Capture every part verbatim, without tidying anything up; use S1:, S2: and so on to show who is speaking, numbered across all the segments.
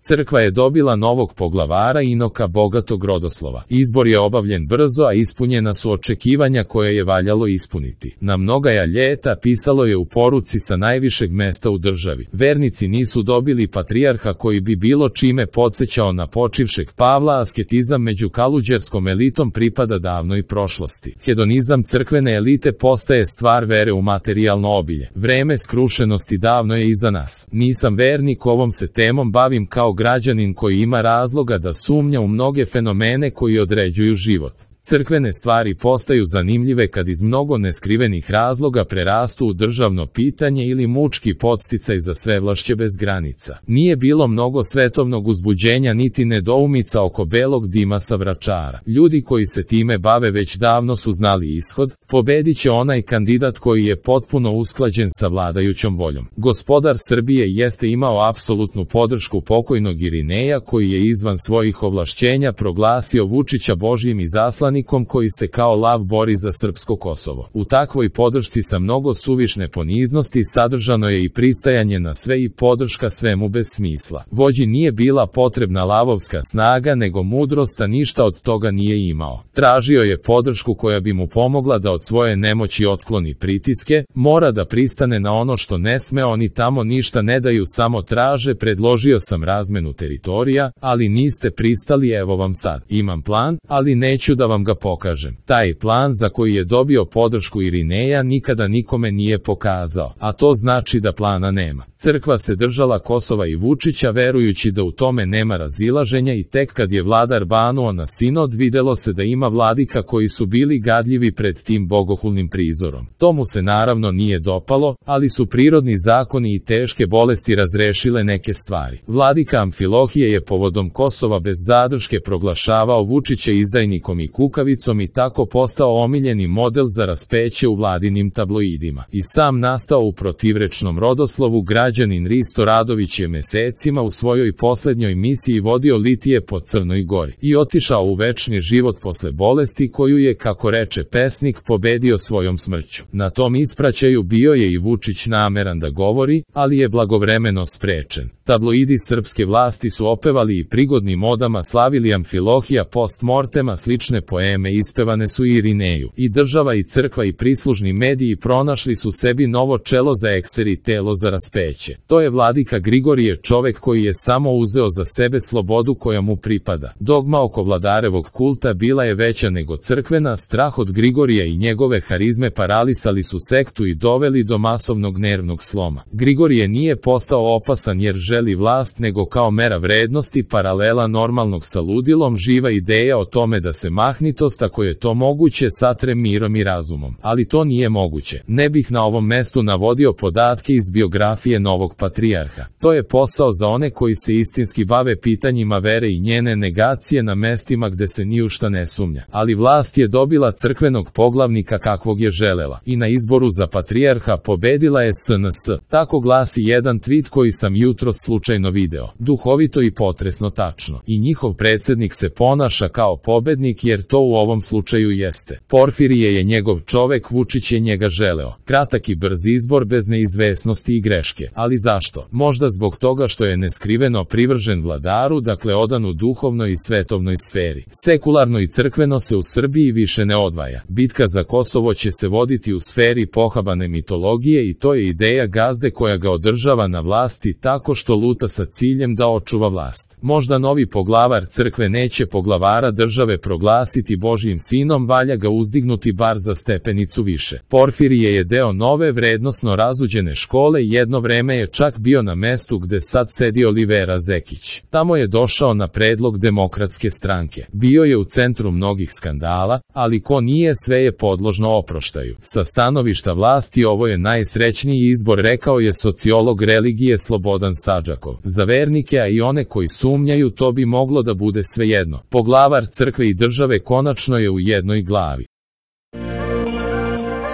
S1: Crkva je dobila novog poglavara Inoka bogatog rodoslova. Izbor je obavljen brzo, a ispunjena su očekivanja koje je valjalo ispuniti. Na mnogaja ljeta pisalo je u poruci sa najvišeg mesta u državi. Vernici nisu dobili patrijarha koji bi bilo čime podsjećao na počivšeg Pavla, asketizam među kaluđerskom elitom pripada davnoj prošlosti. Hedonizam crkvene elite postaje stvar vere u materijalno obilje. Vreme skrušenosti davno je iza nas. Nisam vernik, ovom se temom bavim kao građanin koji ima razloga da sumnja u mnoge fenomene koji određuju život. Crkvene stvari postaju zanimljive kad iz mnogo neskrivenih razloga prerastu u državno pitanje ili mučki podsticaj za svevlašće bez granica. Nije bilo mnogo svetovnog uzbuđenja niti nedoumica oko belog dima sa Vračara. Ljudi koji se time bave već davno su znali ishod, pobedit će onaj kandidat koji je potpuno usklađen sa vladajućom voljom. Gospodar Srbije jeste imao apsolutnu podršku pokojnog Irineja koji je izvan svojih ovlašćenja proglasio Vučića Božjim izaslanikom koji se kao lav bori za srpsko Kosovo. U takvoj podršci sa mnogo suvišne poniznosti sadržano je i pristajanje na sve i podrška svemu bez smisla. Vođi nije bila potrebna lavovska snaga nego mudrost, a ništa od toga nije imao. Tražio je podršku koja bi mu pomogla da od svoje nemoći otkloni pritiske, mora da pristane na ono što ne sme, oni tamo ništa ne daju, samo traže. Predložio sam razmenu teritorija, ali niste pristali, evo vam sad. Imam plan, ali neću da vam ga pokažem. Taj plan za koji je dobio podršku Irineja nikada nikome nije pokazao, a to znači da plana nema. Crkva se držala Kosova i Vučića verujući da u tome nema razilaženja i tek kad je vladar banuo na sinod videlo se da ima vladika koji su bili gadljivi pred tim bogohulnim prizorom. To mu se naravno nije dopalo, ali su prirodni zakoni i teške bolesti razrešile neke stvari. Vladika Amfilohije je povodom Kosova bez zadrške proglašavao Vučića izdajnikom i kukavicom i tako postao omiljeni model za raspeće u vladinim tabloidima. I sam nastao u protivrečnom rodoslovu. Građanin Risto Radović je mesecima u svojoj poslednjoj misiji vodio litije po Crnoj Gori i otišao u večni život posle bolesti koju je, kako reče pesnik, pobedio svojom smrću. Na tom ispraćaju bio je i Vučić nameran da govori, ali je blagovremeno sprečen. Tabloidi srpske vlasti su opevali i prigodnim odama slavili Amfilohija post mortema, slične poeme ispevane su i Irineju. I država i crkva i prislužni mediji pronašli su sebi novo čelo za ekser i telo za raspeće. To je vladika Grigorije, čovek koji je samo uzeo za sebe slobodu koja mu pripada. Dogma oko vladarevog kulta bila je veća nego crkvena, strah od Grigorija i njegove harizme paralisali su sektu i doveli do masovnog nervnog sloma. Grigorije nije postao opasan jer želi vlast, nego kao mera vrednosti, paralela normalnog sa ludilom, živa ideja o tome da se mahnitost, ako je to moguće, satre mirom i razumom. Ali to nije moguće. Ne bih na ovom mestu navodio podatke iz biografije novog patrijarha. To je posao za one koji se istinski bave pitanjima vere i njene negacije na mestima gde se ni u šta ne sumnja. Ali vlast je dobila crkvenog poglavnika kakvog je želela. I na izboru za patrijarha pobedila je S N S. Tako glasi jedan tweet koji sam jutros slučajno video. Duhovito i potresno tačno. I njihov predsjednik se ponaša kao pobednik jer to u ovom slučaju jeste. Porfirije je njegov čovek, Vučić je njega želeo. Kratak i brz izbor bez neizvesnosti i greške. Ali zašto? Možda zbog toga što je neskriveno privržen vladaru, dakle odan u duhovnoj i svetovnoj sferi. Sekularno i crkveno se u Srbiji više ne odvaja. Bitka za Kosovo će se voditi u sferi pohabane mitologije i to je ideja gazde koja ga održava na vlasti tako što luta sa ciljem da očuva vlast. Možda novi poglavar crkve neće poglavara države proglasiti Božjim sinom, valja ga uzdignuti bar za stepenicu više. Porfirije je deo nove vrednosno razuđene škole i jedno vreme je čak bio na mestu gde sad sedi Olivera Zekić. Tamo je došao na predlog Demokratske stranke. Bio je u centru mnogih skandala, ali ko nije, sve je podložno oproštaju. Sa stanovišta vlasti ovo je najsrećniji izbor, rekao je sociolog religije Slobodan Sadžakov. Za vernike, a i one koji sumnjaju, to bi moglo da bude svejedno. Poglavar crkve i države konačno je u jednoj glavi.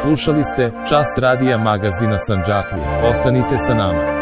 S1: Slušali ste Čas radija magazina Sandžaklije. Ostanite sa nama.